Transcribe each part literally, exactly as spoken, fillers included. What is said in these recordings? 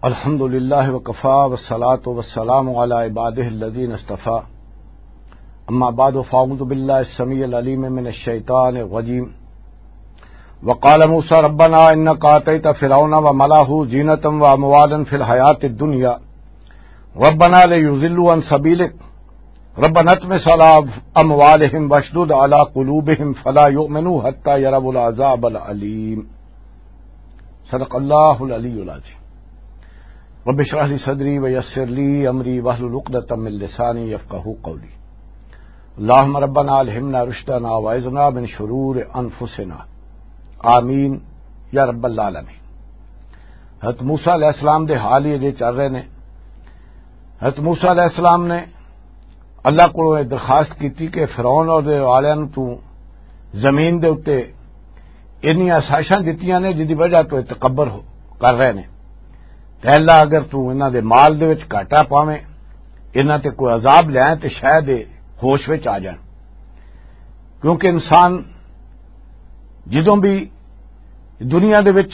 الحمد لله وكفى والصلاة والسلام على عباده الذين اصطفى. أما بعد، فأعوذ بالله السميع العليم من الشيطان الرجيم. وقال موسى ربنا إنك آتيت فرعون وملأه زينة وأموالا في الحياة الدنيا ربنا ليضلوا عن سبيلك ربنا اطمس على أموالهم واشدد على قلوبهم فلا يؤمنوا حتى يروا العذاب الأليم. صدق اللہ العلی العظیم. رب اشرح لي صدري ويسر لي أمري واحلل عقدة من لساني يفقهوا قولي. اللهم ربنا ألهمنا رشدنا وأعذنا من شرور أنفسنا. آمین یا رب العالمین. حضرت موسیٰ علیہ السلام دے حال ہی اجے چل رہے نے. حضرت موسیٰ علیہ السلام نے اللہ کو یہ درخواست کی تھی کہ فرعون اور دے والوں تو زمین دے اُتے انہی آسائشاں دتیاں نے جدی وجہ تو یہ تکبر ہو-، کر رہے نے. تے اللہ اگر تو انہاں دے مال دے وچ گھاٹا پاویں، انہاں تے کوئی عذاب لے آئیں تے شاید یہ ہوش وچ آ جان. کیونکہ انسان جدوں بھی دنیا دے وچ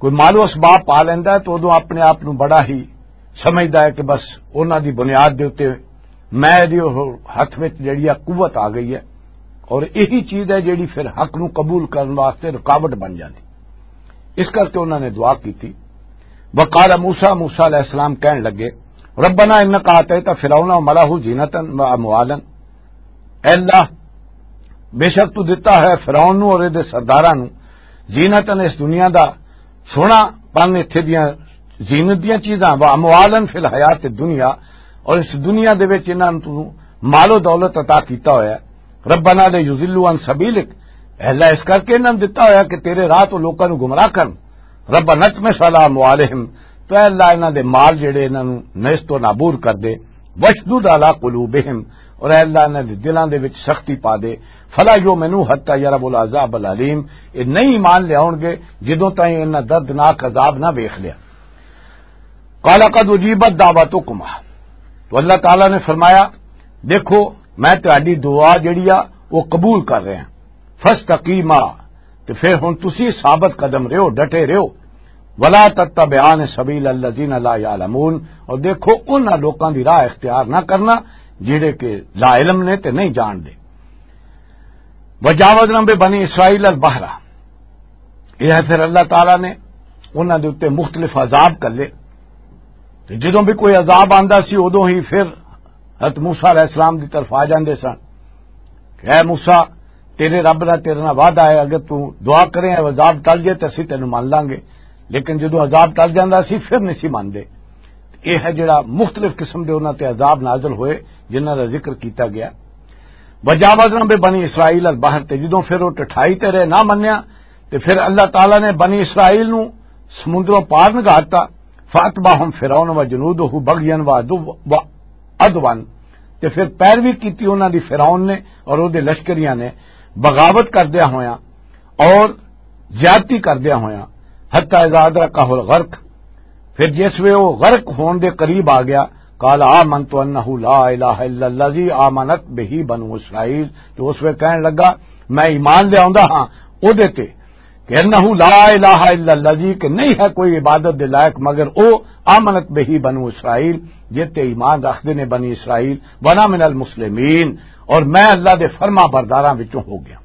کوئی مال و اسباب پا لیندا ہے تو ادوں اپنے آپ نوں بڑا ہی سمجھدا ہے کہ بس انہاں دی بنیاد دے اُتے میں دی ہتھ وچ جڑی آ قوت آ گئی ہے، اور یہی چیز ہے جڑی پھر حق نوں قبول کرن واسطے رکاوٹ بن جاندی. اس کر کے انہاں نے دعا کی تھی. وقال موسیٰ، موسیٰ علیہ السلام کہن لگے، ربنا انک آتیت فرعون و ملأہ زینتا و اموالا، اے اللہ، بے شک تو دتا ہے فرعون نوں اور دے سرداراں نوں زینتاً، اس دنیا دا سونا پن، اتھے دیاں زینت دیاں چیزاں، و اموالن فی الحیات الدنیا، اور اس دنیا دے وچ انہاں نوں تو مال و دولت عطا کیتا ہویا ہے. ربنا لیضلوا عن سبیلک، اے اللہ، اس کر کے انہاں نوں دتا ہویا کہ تیرے راہ تو لوکاں نوں گمراہ کرن. ربنا اطمس علی اموالہم، تو اے اللہ، انہاں دے مال جڑے انہاں نوں نیست و نابود کر دے. وشدد علی قلوبہم، اور اے اللہ، انہاں دے دلاں دے وچ سختی پا دے. فلا یؤمنوا حتی یروا العذاب العلیم، یہ نہیں ایمان لے آؤن گے جدوں تائیں انہاں دردناک عذاب نہ ویکھ لیا. قال قد اجیبت دعوتکما، تو اللہ تعالیٰ نے فرمایا، دیکھو، میں تہاڈی دعا جڑی آ، وہ قبول کر رہا ہاں. فاستقیما، تے پھر ہن تسی ثابت قدم رہو، ڈٹے رہو. ولا تتبعان سبیل الذین لا یعلمون، اور دیکھو، انہاں لوکاں دی راہ اختیار نہ کرنا جڑے کہ لا علم نے تے نہیں جان دے. وجاوزنا ببنی اسرائیل البحر، یہ ہے پھر اللہ تعالیٰ نے انہاں دے اُتے مختلف عذاب کر لے. تے جدوں بھی کوئی عذاب آندا سی، ادوں ہی پھر حضرت موسیٰ علیہ السلام دی طرف آ جاندے سن کہ اے موسیٰ، تیرے رب دا تیرے نال وعدہ ہے، اگر تو دعا کریں عذاب ٹل جائے تے اسی تینوں مان لانگے، لیکن جدوں عذاب ٹل جاندا سی پھر نہیں سی ماندے. یہ ہے جڑا مختلف قسم دے انہاں تے عذاب نازل ہوئے جنہاں دا ذکر کیتا گیا. وجاوزنا ببنی اسرائیل البحر، تے جدوں پھر وہ ٹٹھائی تے رہے، نہ منیا، تے پھر اللہ تعالیٰ نے بنی اسرائیل نوں سمندروں پار نگاتا. فاتبعهم فرعون وجنوده بغيا وعدوا، تے پھر پیروی کیتی انہاں دی فرعون نے اور او دے لشکریاں نے، بغاوت کردیا ہویا اور زیادتی کردیا ہویا. حتی اذا ادرکہ الغرق، پھر جس وے وہ غرق ہون دے قریب آ گیا، قال آمنت انہ لا الہ الا الذی آمنت بہ بنو اسرائیل، تو اس وے کہن لگا، میں ایمان لے آندا ہاں او دے تے، کہ انہ لا الہ الا الذی، کہ نہیں ہے کوئی عبادت دے لائق مگر او، آمنت بہ بنو اسرائیل، جس تے ایمان رکھدے نے بنی اسرائیل، وانا من المسلمین، اور میں اللہ دے فرما برداراں وچوں ہو گیا.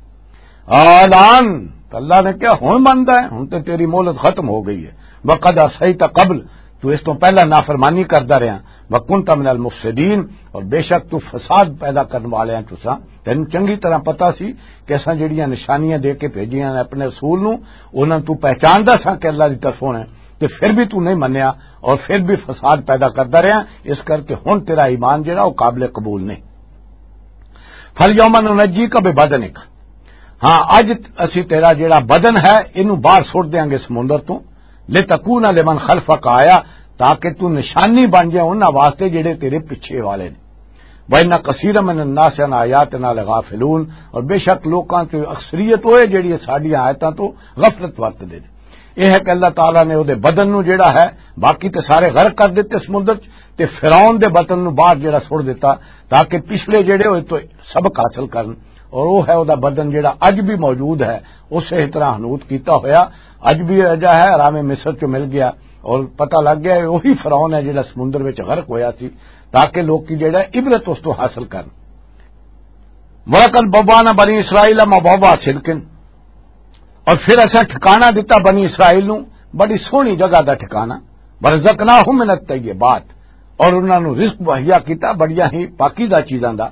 آلان، تو اللہ نے کہا، ہن مندا ہے، ہن تے تیری مہلت ختم ہو گئی ہے. وقد عصیت قبل، تو اس تو پہلا نافرمانی کردا رہیا. وکنت من المفسدین، اور بے شک تو فساد پیدا کرن والے ہیں تساں. تینوں چنگی طرح پتہ سی کہ اساں جڑیاں نشانیاں دے کے بھیجیاں نے اپنے رسول نوں، انہاں تو پہچاندا ساں کہ اللہ دی طرفوں نے، تے پھر بھی تو نہیں منیا اور پھر بھی فساد پیدا کردا رہیا. اس کر کے ہن تیرا ایمان جڑا وہ قابل قبول نہیں. فالیوم ننجیک ببدنک، ہاں، اج اسی تیرا جڑا بدن ہے، اینوں باہر سٹ دیاں گے سمندر تو. لتکون لمن خلفک آیا، تاکہ تو نشانی بن جائے انہاں واسطے جڑے تیرے پیچھے والے نے. وَإِنَّ كَثِيرًا مِنَ النَّاسِ عَنْ آيَاتِنَا لَغَافِلُونَ، اور بے شک لوکاں چ اکثریت ہوئے جڑی ساڈیاں آیتاں تو غفلت ورت دے. یہ ہے کہ اللہ تعالیٰ نے وہ دے بدن نو جڑا ہے، باقی تے سارے غرق کر دیتے سمندر چ، تے فرعون دے بدن نو باہر جڑا چھوڑ دیتا، تاکہ پچھلے جڑے ہوئے تو سبق حاصل کرن. اور وہ ہے وہ دا بدن جڑا اج بھی موجود ہے، اسے طرح ہنوت کیتا ہویا اج بھی اجا ہے، حرام مصر چ مل گیا. اور پتہ لگ گیا، وہی فرعون ہے جڑا سمندر وچ غرق ہویا سی، تاکہ لوکی جڑا عبرت اس تو حاصل کرن۔ وَلَقَدْ بَوَّأْنَا بَنِي إِسْرَائِيلَ مُبَوَّأَ صِدْقٍ، اور پھر اساں ٹھکانہ دتا بنی اسرائیل نو بڑی سوہنی جگہ دا ٹھکانہ، وَرَزَقْنَاهُمْ مِنَ الطَّيِّبَاتِ، اور انہاں نوں رزق مہیا کیتا بڑیاں ہی پاکیزہ چیزاں دا۔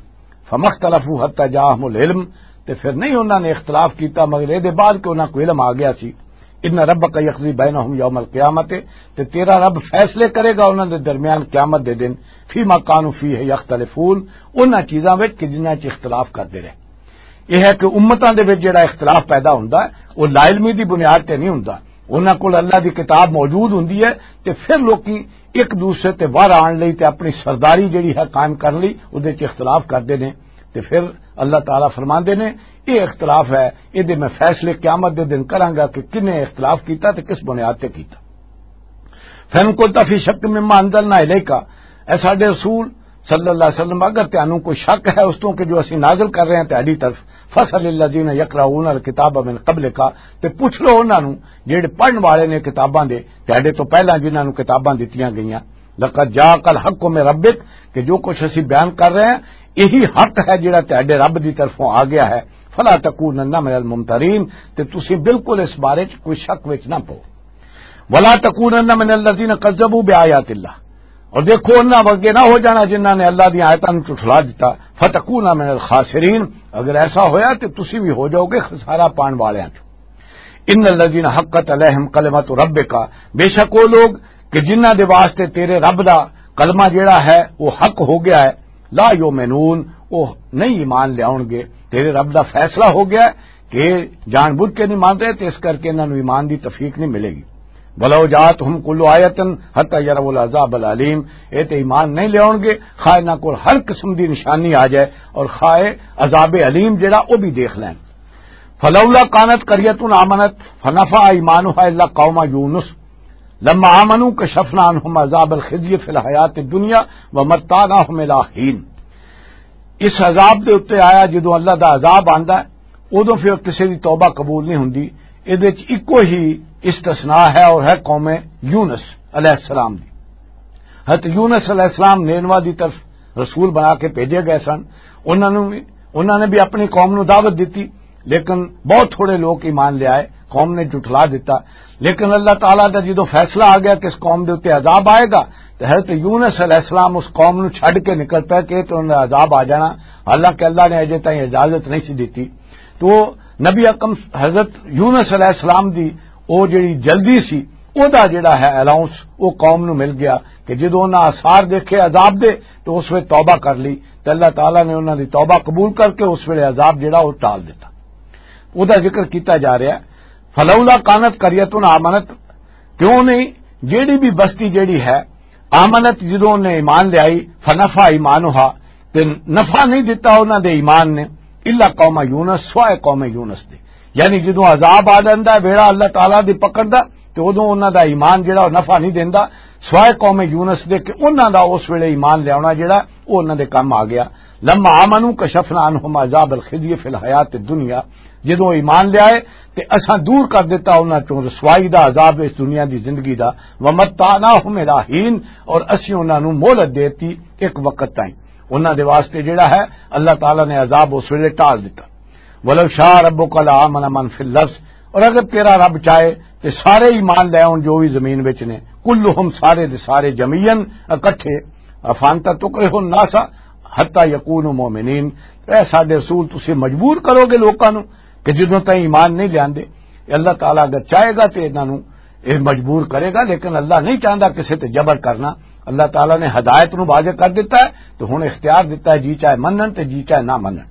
فَمَا اخْتَلَفُوا حَتَّىٰ جَاءَهُمُ الْعِلْمُ، تے پھر نہیں انہاں نے اختلاف کیتا مگر اے دے بعد کہ انہاں کو علم آ گیا سی۔ إِنَّ رَبَّكَ يَقْضِي بَيْنَهُمْ يَوْمَ الْقِيَامَةِ، تے تیرا رب فیصلے کرے گا انہاں دے درمیان قیامت دے دن، فِيمَا كَانُوا فِيهِ يَخْتَلِفُونَ، انہاں چیزاں وچ کہ جنہاں چ اختلاف کردے رہے۔ یہ ہے کہ امتاں دے وچ جڑا اختلاف پیدا ہوندا ہے، وہ لا علمی دی بنیاد تے نہیں ہوندا۔ انہاں کول اللہ دی کتاب موجود ہوندی ہے، تے پھر لوکی ایک دوسرے تے وار آن لئی تے اپنی سرداری جڑی ہے قائم کرن لئی اودے چ اختلاف کردے نے۔ تے پھر اللہ تعالیٰ فرماندے نے، یہ اختلاف ہے، یہ دے میں فیصلے قیامت دے دن کراں گا کہ کنے اختلاف کیتا تے کس بنیاد تے کیتا۔ فَإِن كُنتَ فِي شَكٍّ مِّمَّا أَنزَلْنَا إِلَيْكَ، اے ساڈے رسول صلی اللہ علیہ وسلم، اگر تانوں کوئی شک ہے اس تو کہ جو اسی نازل کر رہے ہیں تہاڈی طرف، فَاسْأَلِ الَّذِينَ يَقْرَؤُونَ الْكِتَابَ مِن قَبْلِكَ، تے پوچھ لو انہاں نوں جڑے پڑھن والے نے کتاباں دے، تہاڈے تو پہلاں جنہاں نوں کتاباں دتیاں گئیاں۔ لَقَدْ جَاءَكَ الْحَقُّ مِن رَبِّكَ، کہ جو کچھ اسی بیان کر رہے ہیں، یہی حق ہے جڑا تہاڈے رب دی طرفوں آ گیا ہے۔ فَلَا تَكُونَنَّ مِنَ الْمُمْتَرِينَ، تے تسی بالکل اس بارے چ کوئی شک وچ نہ پو۔ وَلَا تَكُونَنَّ مِنَ الَّذِينَ كَذَّبُوا بِآيَاتِ اللَّهِ، اور دیکھو، انہاں ورگے نہ ہو جانا جنہاں نے اللہ دی آیتاں نوں جھٹلا دتا۔ فَتَكُونَ مِنَ الْخَاسِرِينَ، اگر ایسا ہویا تے تسی بھی ہو جاؤ گے خسارہ پان والیاں چوں۔ إِنَّ الَّذِينَ حَقَّتْ عَلَيْهِمْ كَلِمَتُ رَبِّكَ، بے شک وہ لوگ کہ جنہاں دے واسطے تیرے رب دا کلمہ جڑا ہے وہ حق ہو گیا ہے، لَا يُؤْمِنُونَ، وہ نہیں ایمان لے آؤن گے۔ تیرے رب دا فیصلہ ہو گیا ہے کہ جان بوجھ کے نہیں مانتے، تے اس کر کے انہاں نوں ایمان دی توفیق نہیں ملے گی۔ وَلَوْ جَاءَتْهُمْ كُلُّ آيَةٍ حَتَّىٰ يَرَوُا الْعَذَابَ الْأَلِيمَ، اے تے ایمان نہیں لے آؤن گے خواہ انہاں کول ہر قسم دی نشانی آ جائے اور خواہ عذاب علیم جڑا وہ بھی دیکھ لین۔ فَلَوْلَا كَانَتْ قَرْيَةٌ آمَنَتْ فَنَفَعَهَا إِيمَانُهَا إِلَّا قَوْمَ يُونُسَ لَمَّا آمَنُوا كَشَفْنَا عَنْهُمْ عَذَابَ الْخِزْيِ فِي الْحَيَاةِ الدُّنْيَا وَمَتَّعْنَاهُمْ إِلَىٰ حِينٍ۔ اس عذاب دے اُتے آیا، جدوں اللہ دا عذاب آندا ہے، اودوں پھر کسے دی توبہ قبول نہیں ہوندی۔ اِدے وچ اکو ہی استثناء ہے اور ہے قوم یونس علیہ السلام دی۔ حضرت یونس علیہ السلام نینوا دی طرف رسول بنا کے بھیجے گئے سن۔ انہاں نوں بھی، انہاں نے بھی اپنی قوم نوں دعوت دتی، لیکن بہت تھوڑے لوگ ایمان لے آئے، قوم نے جھٹلا دیتا۔ لیکن اللہ تعالیٰ دا جدوں فیصلہ آ گیا کہ اس قوم دے اُتے عذاب آئے گا، تو حضرت یونس علیہ السلام اس قوم نوں چھڈ کے نکل پے کہ تو انہاں دا عذاب آ جانا، حالانکہ اللہ نے اجے تائیں اجازت نہیں سی دتی۔ تو نبی اکرم حضرت یونس علیہ السلام دی او جڑی جلدی سی، او دا جڑا ہے الاؤنس، او قوم نوں مل گیا کہ جدوں انہاں آثار دیکھے عذاب دے، تو اس ویلے توبہ کر لی، تے اللہ تعالیٰ نے انہاں دی توبہ قبول کر کے اس ویلے عذاب جڑا او ٹال دتا۔ او دا ذکر کیتا جا رہا ہے، فلولا کانت قریۃ آمنت، کیوں نہیں جیڑی بھی بستی جیڑی ہے، آمنت، جدوں نے ایمان لے آئی، فنفع ایمانہا، تے نفع نہیں دتا انہاں دے ایمان نے، الا قوم یونس، سوائے قوم یونس دے۔ یعنی جدوں عذاب آ جاندا ہے، بیڑا اللہ تعالیٰ دی پکڑ دا، تے ادوں انہاں دا ایمان جڑا او نفع نہیں دیندا، سوائے قوم یونس دے کہ انہاں دا اس ویلے ایمان لیاونا جڑا او انہاں دے کم آ گیا۔ لما آمنوا کشفنا عنہم عذاب الخزی فی الحیات الدنیا، جدوں ایمان لے آئے تے اساں دور کر دیتا انہاں چوں رسوائی دا عذاب اس دنیا دی زندگی دا، ومتعناہم الی حین، اور اسی انہاں نوں مہلت دیتی ایک وقت تائیں۔ انہاں دے واسطے جڑا ہے اللہ تعالیٰ نے عذاب اس ویلے ٹال دیتا۔ ولو شاء ربک لآمن من فی الارض، اور اگر تیرا رب چاہے تے سارے ایمان لے آؤن جو بھی زمین وچ نے، کلہم، سارے دے سارے، جمیعاً، اکٹھے، افانت تکرہ الناس حتی یکونوا مؤمنین، اے ساڈے رسول، تسی مجبور کرو گے لوکاں نوں کہ جدوں تائیں ایمان نہیں لیاندے؟ اے اللہ تعالیٰ اگر چاہے گا تے انہاں نوں اے مجبور کرے گا، لیکن اللہ نہیں چاہندا کسے تے جبر کرنا۔ اللہ تعالیٰ نے ہدایت نوں واضح کر دیتا ہے، تو ہن اختیار دیتا ہے، جی چاہے منن تے جی چاہے نہ منن۔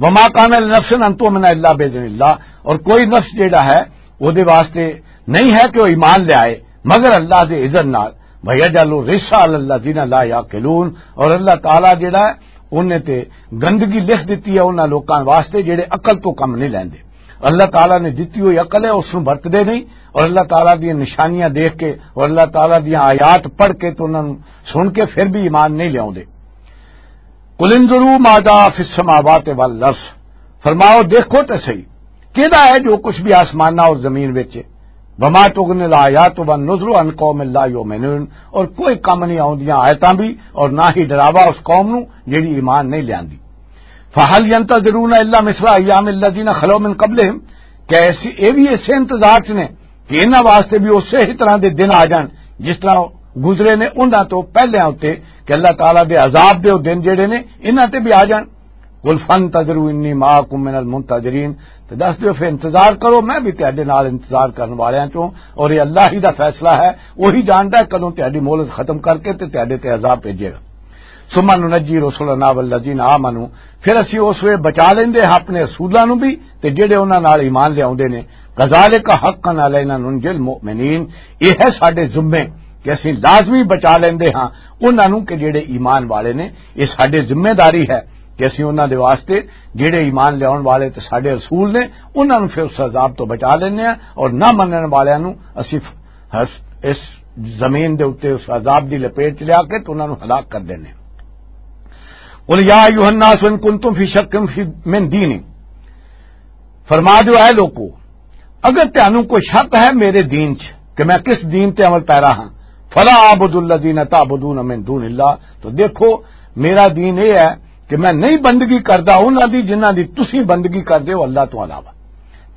وما کان لنفس ان تؤمن الا باذن اللہ، اور کوئی نفس جیڑا ہے، او دے واسطے نہیں ہے کہ وہ ایمان لے آئے مگر اللہ دے اذن نال۔ ویجعل الرجس علی الذین لا یعقلون، اور اللہ تعالیٰ جیڑا ہے، انہیں تے گندگی لکھ دیتی ہے انہاں لوکاں واسطے جیڑے عقل تو کم نہیں لیندے۔ اللہ تعالیٰ نے دتی ہوئی عقل ہے، اس نوں برتدے نہیں، اور اللہ تعالیٰ دیاں نشانیاں دیکھ کے اور اللہ تعالیٰ دیاں آیات پڑھ کے تو انہاں نوں سن کے پھر بھی ایمان نہیں لیاوندے۔ قل انظروا ماذا فی السماوات والارض، فرماؤ، دیکھو تے صحیح، کیڑا ہے جو کچھ بھی آسماناں اور زمین وچ ہے؟ وما تغنی الآیات والنذر عن قوم لا یؤمنون، اور کوئی کم نہیں آؤندیاں آیتاں بھی، اور نہ ہی ڈراوا اس قوم نو جڑی ایمان نہیں لیاندی۔ فہل ینتظرون الا مثل ایام الذین خلو من قبلہم، کہ ایسی، اے بھی اسے انتظار چ نے کہ انہاں واسطے بھی اسے ہی طرح دے دن آ جان جس طرح گزرے نے انہاں تو پہلے ہوتے، کہ اللہ تعالیٰ دے عذاب دے او دن جڑے نے انہاں تے بھی آ جان۔ قل فانتظروا انی معکم من المنتظرین، تے دس دیو پھر انتظار کرو، میں بھی تہاڈے نال انتظار کرن والیاں چوں، اور یہ اللہ ہی دا فیصلہ ہے، وہی جاندا ہے کدوں تہاڈی مہلت ختم کر کے تے تہاڈے تے عذاب بھیجے گا۔ ثم ننجی رسلنا والذین آمنوا، پھر اسی اس ویلے بچا لیندے ہاں اپنے رسولاں نوں بھی تے جڑے انہاں نال ایمان لے آوندے نے۔ کذالک حقا علینا ننجی المؤمنین، یہ ہے ساڈے ذمے کہ اسی لازمی بچا لیندے ہاں انہاں نوں کہ جڑے ایمان والے نے۔ یہ ساڈے ذمہ داری ہے کہ اسی انہاں دے واسطے، جڑے ایمان لیاون والے تے ساڈے رسول نے، انہاں نوں پھر اس عذاب تو بچا لیندے ہاں، اور نہ منن والیاں نوں اسی ف-، ہس-، اس زمین دے اُتے اس عذاب دی لپیٹ چ لیا کے تے انہاں نوں ہلاک کر دینے۔ قل یا ایھا الناس ان کنتم فی شک فی، من دینی، فرما دیو، اے لوکو، اگر تانوں کوئی شک ہے میرے دین چ کہ میں کس دین تے عمل پیرا ہاں، فلا اعبد الذین تعبدون من دون اللہ، تو دیکھو، میرا دین یہ ہے کہ میں نہیں بندگی کردا انہاں دی جنہاں دی تسی بندگی کردے ہو اللہ تو علاوہ۔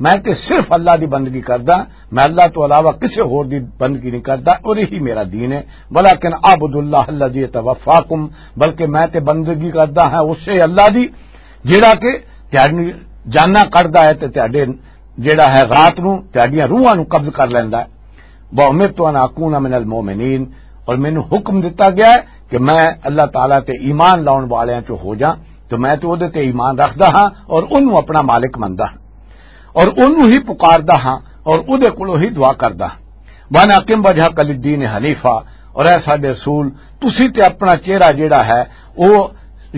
میں تے صرف اللہ دی بندگی کردا، میں اللہ تو علاوہ کسے ہور دی بندگی نہیں کردا، اور یہی میرا دین ہے۔ ولیکن اعبد اللہ الذی یتوفاکم، بلکہ میں تے بندگی کردا ہاں اسے اللہ دی جیڑا کہ تہاڈی جاناں کڈدا ہے تے تہاڈے جیڑا ہے رات نو تہاڈیاں روحاں نو قبض کر لیندا ہے۔ وَأُمِرْتُ أَنْ أَكُونَ مِنَ الْمُؤْمِنِينَ، اور مینوں حکم دتا گیا ہے کہ میں اللہ تعالیٰ تے ایمان لاؤن والیاں چوں ہو جاں، تو میں تے اودے تے ایمان رکھدا ہاں اور اونوں اپنا مالک مندا ہاں اور اونوں ہی پکاردا ہاں اور اودے کولوں ہی دعا کردا ہاں۔ وَأَنْ أَقِمْ وَجْهَكَ لِلدِّينِ حَنِيفًا، اور اے ساڈے رسول، تسی تے اپنا چہرہ جیڑا ہے او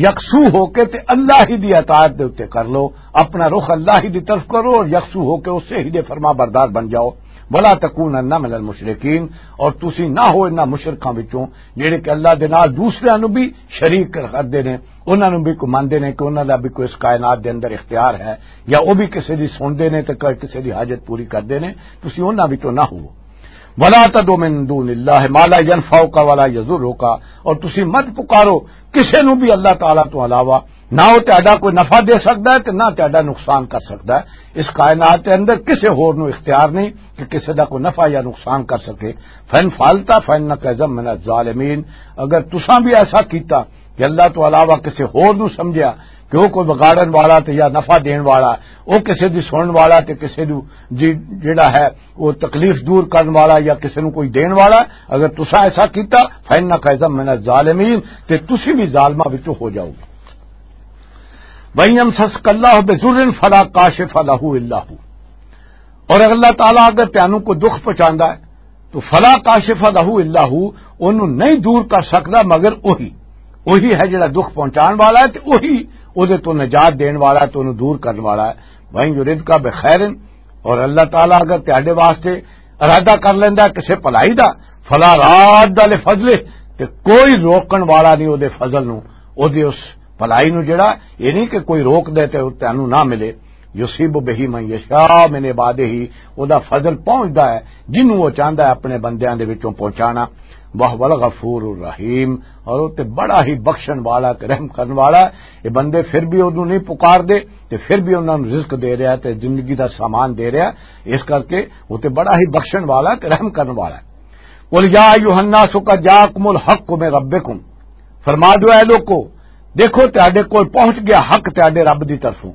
یکسو ہو کے تے اللہ ہی دی اطاعت دے اُتے کر لو، اپنا رخ اللہ ہی دی طرف کرو اور یکسو ہو کے اسے ہی دے فرما بردار بن جاؤ۔ ولا تکونن من المشرکین، اور تسی نہ ہو انہاں مشرکاں وچوں جڑے کہ اللہ دے نال دوسریاں نوں بھی شریک کردے نے، انہاں نوں بھی کو مندے نے کہ انہاں دا بھی کوئی اس کائنات دے اندر اختیار ہے، یا او بھی کسے دی سنتے نے تے کسے دی حاجت پوری کردے نے، تسی انہاں وچوں نہ ہوو۔ ولا تدع من دون اللہ ما لا ينفعك ولا يضرك، اور تسی مت پکارو کسے نو بھی اللہ تعالیٰ تو علاوہ، نہ وہ تہاڈا کوئی نفع دے سکدا ہے تے نہ تہاڈا نقصان کر سکدا ہے۔ اس کائنات کے اندر کسے ہور نو اختیار نہیں کہ کسے دا کوئی نفع یا نقصان کر سکے۔ فَإِنْ فَعَلْتَ فَإِنَّكَ إِذًا مِنَ الظَّالِمِينَ، اگر تساں بھی ایسا کیتا کہ اللہ تو علاوہ کسے ہور نو سمجھیا کہ وہ کوئی بگاڑن والا تے یا نفع دین والا، وہ کسے دی سنن والا تے کسے دی جی جڑا ہے وہ تکلیف دور کرن والا یا کسے نو کوئی دین والا، اگر تسا ایسا کیتا، فَإِنَّكَ إِذًا مِنَ الظَّالِمِينَ، تے تسی بھی ظالماں وچوں ہو جاؤ گے۔ وَإِنْ يَمْسَسْكَ اللَّهُ بِضُرٍّ فَلَا كَاشِفَ لَهُ إِلَّا هُوَ، اور اگر اللہ تعالیٰ اگر تینوں کو دکھ پہنچاندا ہے تو فلا کاشف لہ الا ہو، انہوں نہیں دور کر سکدا مگر وہی۔ وہی ہے جڑا دکھ پہنچان والا ہے تے وہی او دے تو نجات دین والا ہے، تو انہوں دور کرن والا ہے۔ وَإِنْ يُرِدْكَ بِخَيْرٍ، اور اللہ تعالیٰ اگر تہاڈے واسطے ارادہ کر لیندا ہے کسے بھلائی دا، فلا راد لفضلہ، تے کوئی روکن والا نہیں او دے فضل نو، او دے اس بھلائی نو جڑا، یہ نہیں کہ کوئی روک دے تے تینوں نہ ملے۔ یصیب بہ من یشاء من عبادہ، او دا فضل پہنچدا ہے جنوں وہ چاہندا ہے اپنے بندیاں دے وچوں پہنچانا۔ وہو الغفور الرحیم، اور وہ تے بڑا ہی بخشن والا تے رحم کرن والا ہے۔ یہ بندے پھر بھی اودوں نہیں پکار دے تے پھر بھی انہاں نوں رزق دے رہا ہے تے زندگی دا سامان دے رہا ہے، اس کر کے وہ تے بڑا ہی بخشن والا تے رحم کرن والا ہے۔ قل یا ایھا الناس قد جاءکم الحق من ربکم، فرما دو اے لوکو، دیکھو تہاڈے کول پہنچ گیا حق تہاڈے رب دی طرفوں۔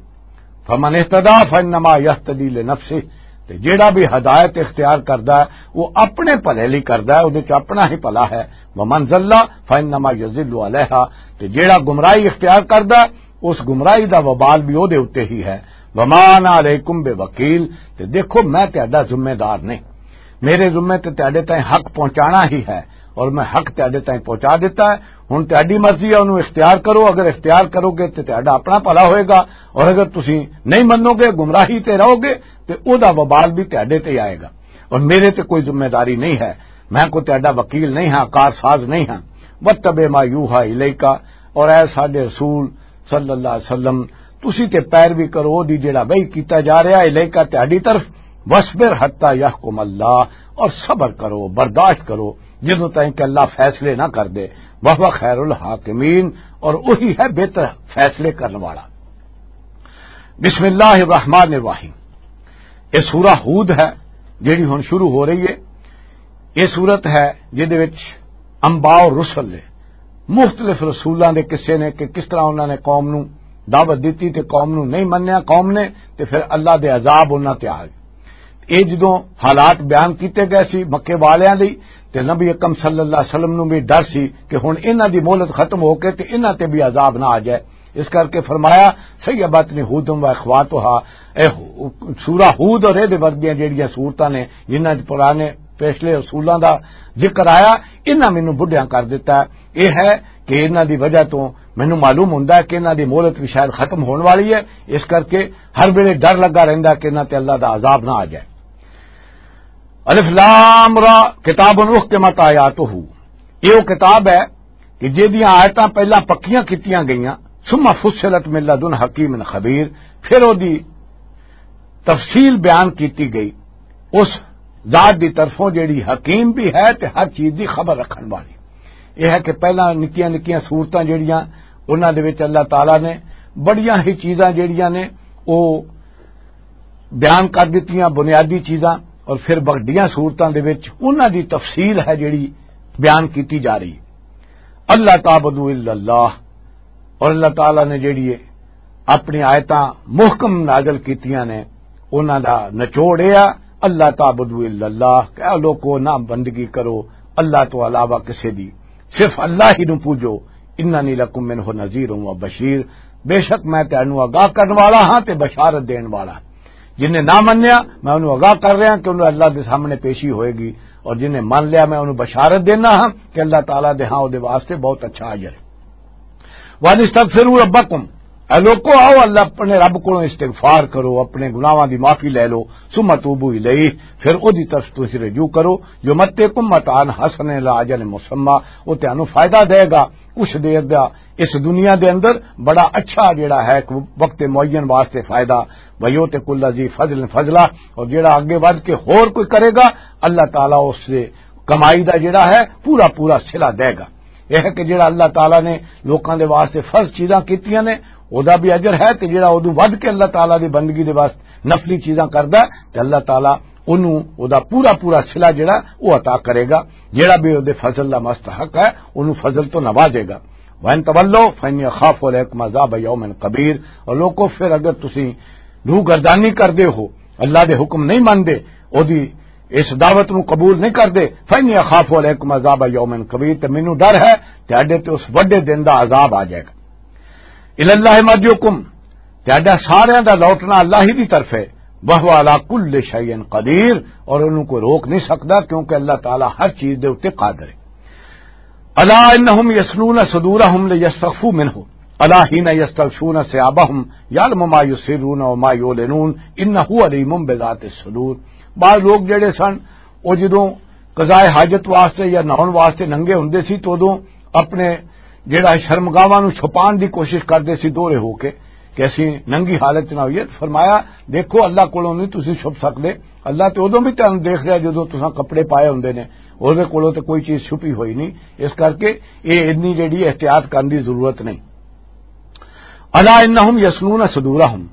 فمن اہتدی فانما یہتدی لنفسہ، تے جیڑا بھی ہدایت اختیار کردا ہے وہ اپنے بھلے لئی کردا ہے، اودے چ اپنا ہی بھلا ہے۔ ومن ضل فانما یضل علیہا، تے جیڑا گمراہی اختیار کردا ہے اس گمراہی دا وبال بھی اودے اُتے ہی ہے۔ وما انا علیکم بوکیل، تے دیکھو میں تہاڈا ذمہ دار نہیں، میرے ذمے تے تہاڈے تائیں حق پہنچانا ہی ہے، اور میں حق تہاڈے تائیں پہنچا دیتا ہے۔ ہن تہاڈی مرضی ہے، انہوں اختیار کرو، اگر اختیار کرو گے تے تہاڈا اپنا بھلا ہوئے گا، اور اگر تسی نہیں منو گے، گمراہی تے رہو گے، تے او دا وبال بھی تہاڈے تے آئے گا، اور میرے تے کوئی ذمہ داری نہیں ہے۔ میں کوئی تہاڈا وکیل نہیں ہاں، کار ساز نہیں ہاں۔ واتبع ما یوحی الیک، اور اے ساڈے رسول صلی اللہ علیہ وسلم، تسی تے پیروی کرو دی جڑا وحی کیتا جا رہا ہے الیک تہاڈی طرف، وَاصْبِرْ حَتَّىٰ يَحْكُمَ اللَّهُ، اور صبر کرو، برداشت کرو، جدوں تائیں کہ اللہ فیصلے نہ کر دے۔ وَهُوَ خَيْرُ الْحَاكِمِينَ، اور وہی ہے بہتر فیصلے کرنے والا۔ بسم اللہ الرحمن الرحیم۔ یہ سورہ ہود ہے، جیڑی ہن شروع ہو رہی ہے۔ یہ سورت ہے جہدے وچ انبیاء اور رسل نے، مختلف رسولاں دے قصے نے کہ کس طرح انہاں نے قوم نو دعوت دتی تے قوم نو نہیں منیا قوم نے، تے پھر اللہ دے عذاب انہاں تے آ گئے۔ یہ جدوں حالات بیان کیتے گئے سی مکے والیاں لئی، تے نبی اکرم صلی اللہ علیہ وسلم نو بھی ڈر سی کہ ہن انہاں دی مہلت ختم ہو کے تے انہاں تے بھی عذاب نہ آ جائے۔ اس کر کے فرمایا، "سیبت نے ہودم و اخواتہا"، اے ہو-، سورہ ہود اور اے دے ورگیاں جیڑیاں سورتاں نے، جنہاں چ پرانے پچھلے رسولاں دا ذکر آیا، انہاں مینوں بڈھیاں کر دتا ہے۔ اے ہے کہ انہاں دی وجہ تو مینوں معلوم ہوندا ہے کہ انہاں دی مہلت بھی شاید ختم ہون والی ہے، اس کر کے ہر ویلے ڈر لگا رہندا کہ انہاں تے اللہ دا عذاب نہ آ جائے۔ الف لام را، کتاب احکمت آیاتہ، یہ وہ کتاب ہے کہ جہدیاں آیتاں پہلاں پکیاں کیتیاں گئیاں، ثم فصلت من لدن حکیم خبیر، پھر وہ دی تفصیل بیان کیتی گئی اس ذات دی طرفوں جیڑی حکیم بھی ہے تے ہر چیز دی خبر رکھن والی۔ یہ ہے کہ پہلاں نکیاں نکیاں صورتاں جیڑیاں، انہاں دے وچ اللہ تعالیٰ نے بڑیاں ہی چیزاں جیڑیاں نے، وہ بیان کر دتیاں بنیادی چیزاں، اور پھر وڈیاں صورتاں دے وچ انہاں دی تفصیل ہے جیڑی بیان کیتی جا رہی ہے۔ اللہ تعبدوا الا اللہ، اور اللہ تعالیٰ نے جیڑی ہے اپنی آیتاں محکم نازل کیتیاں نے، انہاں دا نچوڑ یہ آ، اللہ تعبدوا الا اللہ، کہ اے لوکو نہ بندگی کرو اللہ تو علاوہ کسے دی، صرف اللہ ہی نو پوجو۔ اننی لکم منہ نذیر و بشیر، بے شک میں تینوں آگاہ کرن والا ہاں تے بشارت دین والا۔ جن نے نہ منیا، میں انہوں آگاہ کر رہا کہ انہوں اللہ دے سامنے پیشی ہوئے گی، اور جن نے من لیا، میں انہوں بشارت دینا ہاں کہ اللہ تعالیٰ دے ہاں او دے واسطے بہت اچھا اجر ہے۔ وَأَنِ اسْتَغْفِرُوا رَبَّكُمْ، اے لوکو، آؤ اللہ اپنے رب کو استغفار کرو، اپنے گناہاں دی معافی لے لو، ثُمَّ تُوبُوا إِلَيْهِ، پھر او دی طرف تسی رجوع کرو، يُمَتِّعْكُمْ مَتَاعًا حَسَنًا إِلَىٰ أَجَلٍ مُّسَمًّى، او تینوں فائدہ دے گا کچھ دیر دا اس دنیا دے اندر، بڑا اچھا جڑا ہے، ایک وقت معین واسطے فائدہ۔ وَيُؤْتِ كُلَّ ذِي فَضْلٍ فَضْلَهُ، اور جڑا اگے ودھ کے ہور کوئی کرے گا، اللہ تعالیٰ اس سے کمائی دا جڑا ہے پورا پورا صلہ دے گا۔ یہ ہے کہ جڑا اللہ تعالیٰ نے لوکاں دے واسطے فرض چیزاں کیتیاں نے، او دا بھی اجر ہے، تے جڑا اودوں ودھ کے اللہ تعالیٰ دی بندگی دے واسطے نفلی چیزاں کردا ہے، تے اللہ تعالیٰ اونوں او دا پورا پورا صلہ جڑا او عطا کرے گا۔ جڑا بھی او دے فضل دا مستحق ہے، اونوں فضل تو نوازے گا۔ وَإِن تَوَلَّوْا فَإِنِّي أَخَافُ عَلَيْكُمْ عَذَابَ يَوْمٍ كَبِيرٍ، اور لوکو، پھر اگر تسی روح گردانی کردے ہو، اللہ دے حکم نہیں مندے، او دی اس دعوت نو قبول نہیں کردے، فَإِنِّي أَخَافُ عَلَيْكُمْ عَذَابَ يَوْمٍ كَبِيرٍ، تے مینوں ڈر ہے تہاڈے تے اس وڈے دن دا عذاب آ جائے گا۔ إِلَى اللَّهِ مَرْجِعُكُمْ، تہاڈا ساریاں دا لوٹنا اللہ ہی دی طرف ہے، وَهُوَ عَلَىٰ كُلِّ شَيْءٍ قَدِيرٌ، اور انہوں کو روک نہیں سکدا، کیونکہ اللہ تعالیٰ ہر چیز دے اُتے قادر ہے۔ أَلَا إِنَّهُمْ يَثْنُونَ صُدُورَهُمْ لِيَسْتَخْفُوا مِنْهُ، أَلَا حِينَ يَسْتَغْشُونَ ثِيَابَهُمْ يَعْلَمُ مَا يُسِرُّونَ وَمَا يُعْلِنُونَ إِنَّهُ عَلِيمٌ بِذَاتِ الصُّدُورِ۔ بعض لوگ جڑے سن، او جدوں قضائے حاجت واسطے یا نہاؤن واسطے ننگے ہوندے سی، تو ادوں اپنے جڑا شرمگاہاں نوں چھپان دی کوشش کردے سی دوہرے ہو کے، کہ اسی ننگی حالت نہ ہوئیے۔ فرمایا، دیکھو، اللہ کولوں نہیں تسی چھپ سکدے، اللہ تے ادوں بھی تانوں دیکھ رہا جدوں تساں کپڑے پائے ہوندے نے، اودے کولوں تے کوئی چیز چھپی ہوئی نہیں۔ اس کر کے یہ اتنی جڑی احتیاط کرن دی ضرورت نہیں۔ الا انہم یسنون صدورہم،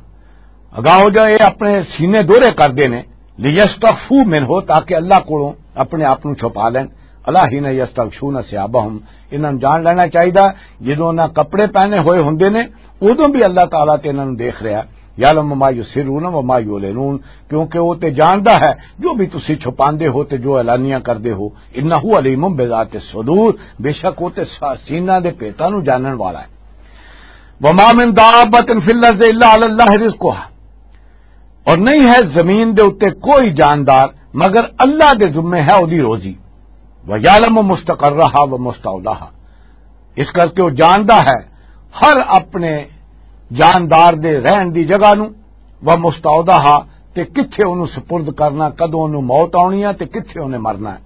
اگاں ہو جا یہ اپنے سینے دورے کردے نے، لیستخفوا منہ، تاکہ اللہ کولوں اپنے آپ نوں چھپا لین۔ الا حین یستغشون ثیابہم، انہاں نوں جان لینا چاہیدا، جدوں انہاں کپڑے پہنے ہوئے ہوندے نے، ادوں بھی اللہ تعالیٰ تے انہاں نوں دیکھ رہا۔ یعلم ما یسرون و ما یعلنون، کیونکہ وہ تے جاندا ہے جو بھی تسی چھپاندے ہو تے جو اعلانیہ کردے ہو۔ انہ علیم بذات الصدور، بے شک وہ تے سا-، سینہ دے پیتاں نوں جانن والا ہے۔ وما من دابۃ فی الارض الا علی اللہ رزقها، اور نہیں ہے زمین دے اُتے کوئی جاندار مگر اللہ دے ذمے ہے اودی روزی۔ ویعلم مستقرها ومستودعها، اس کر کے وہ جاندا ہے ہر اپنے جاندار دے رہن دی جگہ نو، ومستودعها، تے کتھے انہوں سپرد کرنا، کدوں انہوں موت آنی ہے تے کتھے انہیں مرنا ہے۔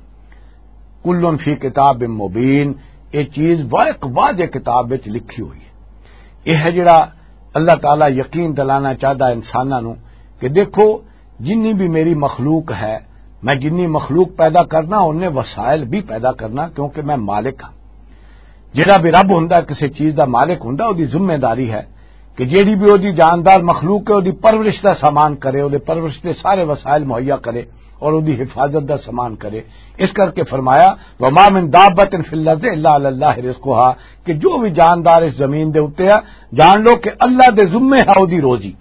کل فی کتاب مبین، یہ چیز وا-، ایک واضح کتاب وچ لکھی ہوئی ہے۔ یہ ہے جڑا اللہ تعالیٰ یقین دلانا چاہتا انساناں نو کہ دیکھو، جنی بھی میری مخلوق ہے، میں جنی مخلوق پیدا کرنا، انہیں وسائل بھی پیدا کرنا، کیونکہ میں مالک ہاں۔ جڑا بھی رب ہوندا ہے، کسی چیز دا مالک ہوندا، اودی ذمہ داری ہے کہ جیڑی بھی اودی جاندار مخلوق ہے، اودی پرورش دا سامان کرے، اودے پرورش دے سارے وسائل مہیا کرے اور اودی حفاظت دا سامان کرے۔ اس کر کے فرمایا، "وما من دابۃ فی الارض الا علی اللہ رزقها"، کہ جو بھی جاندار اس زمین دے اُتے ہے، جان لو کہ اللہ دے ذمے ہے اودی روزی۔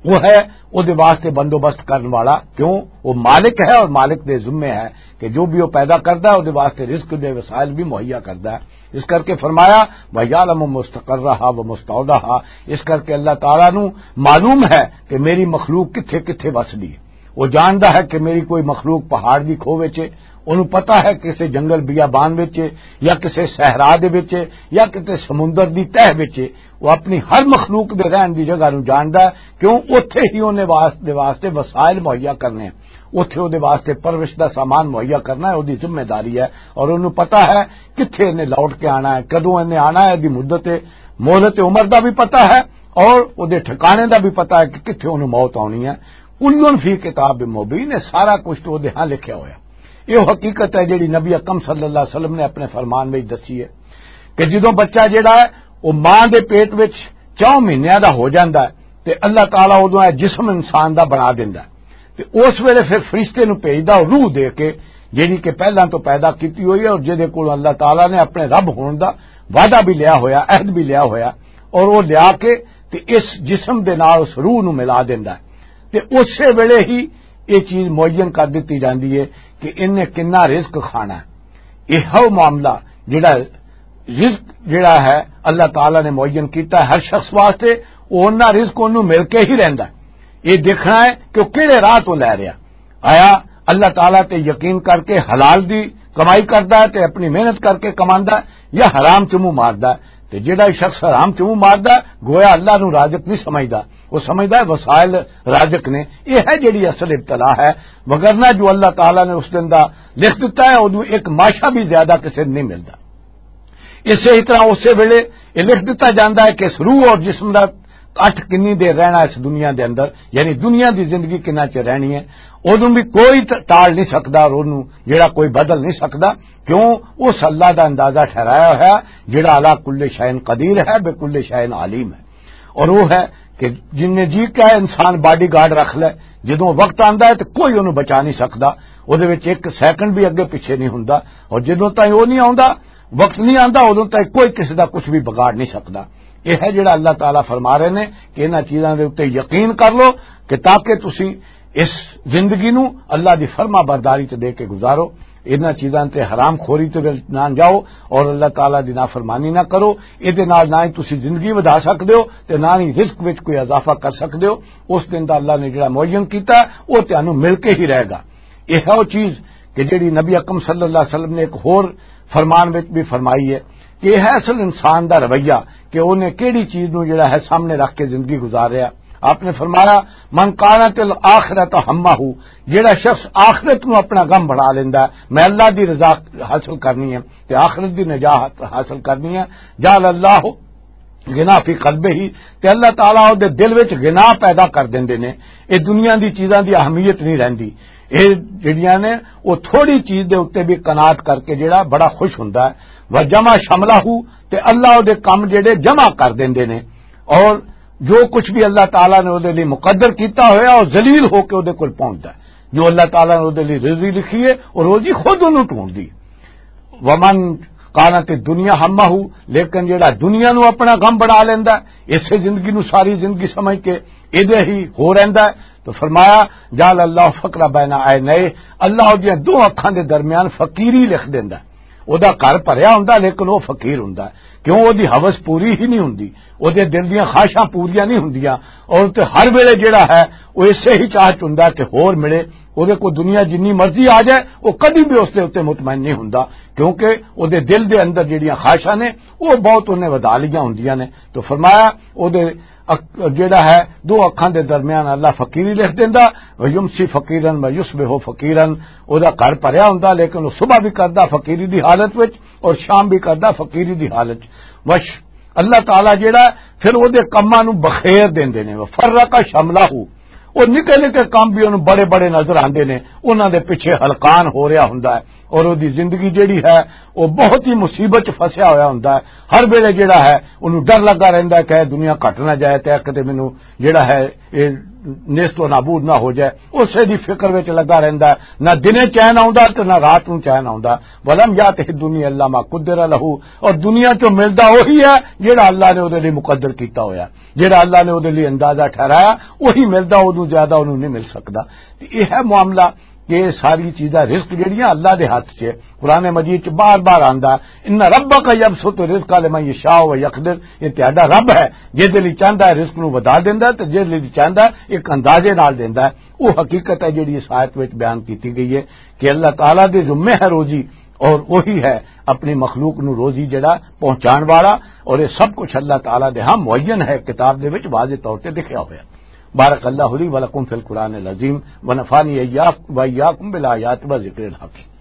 وہ ہے، اودے واسطے بندوبست کرن والا۔ کیوں؟ وہ مالک ہے اور مالک دے ذمے ہے کہ جو بھی وہ پیدا کردا ہے، اودے واسطے رزق دے وسائل بھی مہیا کردا ہے۔ اس کر کے فرمایا، "وَيَعْلَمُ مُسْتَقَرَّهَا وَمُسْتَوْدَعَهَا"، اس کر کے اللہ تعالیٰ نو معلوم ہے کہ میری مخلوق کتھے کتھے وسدی ہے۔ وہ جاندا ہے کہ میری کوئی مخلوق پہاڑ دی کھوہ وچ ہے، انہوں پتا ہے کسے جنگل بیابان وچ ہے، یا کسے صحرا دے وچ ہے، یا کسے سمندر دی تہہ وچ ہے۔ وہ اپنی ہر مخلوق دے رہن دی جگہ نو جاندا ہے، کیوں؟ اوتھے ہی اونے واس-، دے واسطے وسائل مہیا کرنے ہیں، اوتھے اودے واسطے پرورش دا سامان مہیا کرنا ہے، اودی ذمہ داری ہے۔ اور انہوں پتا ہے کتھے انہیں لوٹ کے آنا ہے، کدوں انہیں آنا ہے، دی مدت ہے، مہلت عمر دا بھی پتا ہے، اور اودے ٹھکانے دا بھی پتا ہے کہ کتھے انہوں موت آنی ہے۔ کلن فی کتاب مبین، یہ سارا کچھ تو اودے ہاں لکھیا ہویا۔ یہ حقیقت ہے جڑی نبی اکرم صلی اللہ علیہ وسلم نے اپنے فرمان وچ دسی ہے کہ جدوں بچہ جڑا ہے، وہ ماں دے پیٹ وچ چار مہینیاں دا ہو جاندا ہے، تے اللہ تعالیٰ اودوں اے جسم انسان دا بنا دیندا ہے۔ تے اس ویلے پھر فرشتے نوں بھیجدا، روح دے کے، جڑی کہ پہلاں تو پیدا کیتی ہوئی ہے، اور جدے کول اللہ تعالیٰ نے اپنے رب ہون دا وعدہ بھی لیا ہویا، عہد بھی لیا ہویا، اور وہ لیا کے تے اس جسم دے نال اس روح نوں ملا دیندا ہے۔ تے اسے ویلے ہی یہ چیز معین کر دتی جاندی ہے کہ انہیں کنا رزق کھانا ہے۔ یہ ہے وہ معاملہ، جڑا رزق جڑا ہے، اللہ تعالیٰ نے معین کیتا ہے ہر شخص واسطے، وہ انہاں رزق انہوں مل کے ہی رہندا ہے۔ یہ دیکھنا ہے کہ وہ کہڑے راہ تو لے رہا۔ آیا اللہ تعالیٰ تے یقین کر کے حلال دی کمائی کردا ہے تے اپنی محنت کر کے کماندا ہے، یا حرام چ منہ ماردا ہے؟ تے جڑا شخص حرام چ منہ ماردا ہے، گویا اللہ نو رازق نہیں سمجھدا، وہ سمجھدا ہے وسائل رازق نے۔ یہ ہے جڑی اصل ابتلا ہے، وگرنہ جو اللہ تعالیٰ نے اس دن دا لکھ دتا ہے، اودوں ایک ماشا بھی زیادہ کسے نہیں ملدا۔ اسے ہی طرح اسے ویلے یہ لکھ دتا جاندا ہے کہ اس روح اور جسم دا اٹھ کنی دیر رہنا اس دنیا دے اندر، یعنی دنیا دی زندگی کنا چ رہنی ہے، اودوں بھی کوئی ت-، ٹال نہیں سکدا اور اونوں جڑا کوئی بدل نہیں سکدا۔ کیوں؟ اس اللہ دا اندازہ ٹھہرایا ہویا، جڑا علی کل شیء قدیر ہے، بے کل شیء علیم ہے۔ اور وہ ہے کہ جن نے جی کیا انسان باڈی گارڈ رکھ لے، جدوں وقت آندا ہے تو کوئی انہوں بچا نہیں سکدا، وہ دے وچ ایک سیکنڈ بھی اگے پیچھے نہیں ہوندا۔ اور جدوں تائیں وہ نہیں آندا، وقت نہیں آندا، ادوں تک کوئی کسی دا کچھ بھی بگاڑ نہیں سکدا۔ یہ ہے جڑا اللہ تعالیٰ فرما رہے نے کہ انہاں چیزاں دے اُتے یقین کر لو، کہ تاکہ تسی اس زندگی نو اللہ دی فرما برداری تے دے کے گزارو۔ انہاں چیزاں تے حرام خوری تے نہ جاؤ اور اللہ تعالیٰ دی نافرمانی نہ کرو۔ اے دے نال نہ ہی تسی زندگی ودھا سکدے ہو تے نہ ہی رزق وچ کوئی اضافہ کر سکدے ہو۔ اس دن دا اللہ نے جڑا معین کیتا ہے، وہ تانوں مل کے ہی رہے گا۔ یہ ہے وہ چیز کہ جڑی نبی اکرم صلی اللہ علیہ وسلم نے ایک ہور فرمان وچ بھی فرمائی ہے کہ یہ ہے اصل انسان دا رویہ، کہ انہیں کیڑی چیز نو جڑا ہے سامنے رکھ کے زندگی گزار رہا۔ آپ نے فرمایا، "من کانت الآخرۃ ہمہ"، جڑا شخص آخرت نو اپنا غم بنا لیندا ہے، میں اللہ دی رضا حاصل کرنی ہے تے آخرت دی نجات حاصل کرنی ہے، جعل اللہ غنا فی قلبہ ہی، تے اللہ تعالیٰ او دے دل وچ غنا پیدا کر دیندے نے۔ اے دنیا دی چیزاں دی اہمیت نہیں رہندی۔ اے جڑیاں نے، او تھوڑی چیز دے اُتے بھی قناعت کر کے جڑا بڑا خوش ہوندا ہے۔ وجمع شملہ، تے اللہ او دے کم جڑے جمع کر دیندے نے، اور جو کچھ بھی اللہ تعالیٰ نے او دے لئی مقدر کیتا ہویا، او ذلیل ہو کے او دے کول پہنچدا ہے۔ جو اللہ تعالیٰ نے او دے لئی رزق لکھی ہے، او روزی خود اونوں ٹونڈدی ہے۔ ومن کانت دنیا ہمہ، لیکن جڑا دنیا نو اپنا غم بنا لیندا ہے، اسے زندگی نو ساری زندگی سمجھ کے ایدے ہی ہو رہندا ہے، تو فرمایا، "جعل اللہ فقر بین عینیہ"، اللہ اودیاں دو اکھاں دے درمیان فقیری لکھ دیندا ہے۔ او دا گھر بھریا ہوندا، لیکن او فقیر ہوندا ہے، کیوں؟ او دی ہوس پوری ہی نہیں ہوندی، او دے دل دیاں خواہشاں پوریاں نہیں ہوندیاں، اور تے ہر ویلے جڑا ہے، او اسے ہی چاہ چ ہوندا ہے کہ ہور ملے۔ اودے کو دنیا جنی مرضی آ جائے، وہ کدی بھی اس دے اُتے مطمئن نہیں ہوندا، کیونکہ اودے دل دے اندر جڑیاں خواہشاں نے، وہ بہت انہیں ودھا لیاں ہوندیاں نے۔ تو فرمایا، اودے اک-، جڑا ہے، دو اکھاں دے درمیان اللہ فقیری لکھ دیندا، "ویمسی فقیرن و یصبح فقیرن"، او دا گھر بھریا ہوندا، لیکن وہ صبح بھی کردا فقیری دی حالت وچ اور شام بھی کردا فقیری دی حالت وچ۔ اللہ تعالیٰ جڑا ہے، پھر اودے کماں نو بخیر دیندے نے، "وفرق شملہ"، وہ نکے نکے کام بھی انہوں بڑے بڑے نظر آندے نے، انہاں دے پیچھے ہلکان ہو رہا ہوندا ہے، اور وہ دی زندگی جیڑی ہے، وہ بہت ہی مصیبت چ پھسیا ہویا ہوندا ہے۔ ہر ویلے جیڑا ہے، انہوں ڈر لگا رہندا ہے کہ اے دنیا گھٹ نہ جائے تے کدے مینوں جیڑا ہے، اے نیست و نابود نہ ہو جائے۔ اسے دی فکر وچ لگا رہندا ہے، نہ دنے چین آوندا تے نہ رات نوں چین آوندا۔ ولم یاتہ الدنیا الا ما قدر لہ، اور دنیا چوں ملدا وہی ہے جیڑا اللہ نے اودے لئی مقدر کیتا ہویا، جیڑا اللہ نے اودے لئی اندازہ ٹھہرایا، وہی ملدا، اودوں زیادہ اونوں نہیں مل سکدا۔ تے یہ ہے معاملہ کہ یہ ساری چیزاں، رزق جیڑیاں اللہ دے ہاتھ 'چ ہے۔ قرآن مجید 'چ بار بار آندا، "ان ربک یبسط الرزق لمن یشاء و یقدر"، یہ تہاڈا رب ہے، جس دے لئی چاہندا ہے رزق نوں ودھا دیندا ہے تے جس دے لئی چاہندا ہے ایک اندازے نال دیندا ہے۔ وہ حقیقت ہے جیڑی اس آیت وچ بیان کیتی گئی ہے کہ اللہ تعالیٰ دے ذمے ہے روزی، اور وہی ہے اپنی مخلوق نو روزی جڑا پہنچان والا، اور یہ سب کچھ اللہ تعالیٰ دے ہاں معین ہے، کتاب دے وچ واضح طور تے لکھیا ہویا۔ بارک اللہ لی ولکم فی القرآن العظیم، ونفعنی ایاک-، و ایاکم بالآیات و ذکر الحکیم۔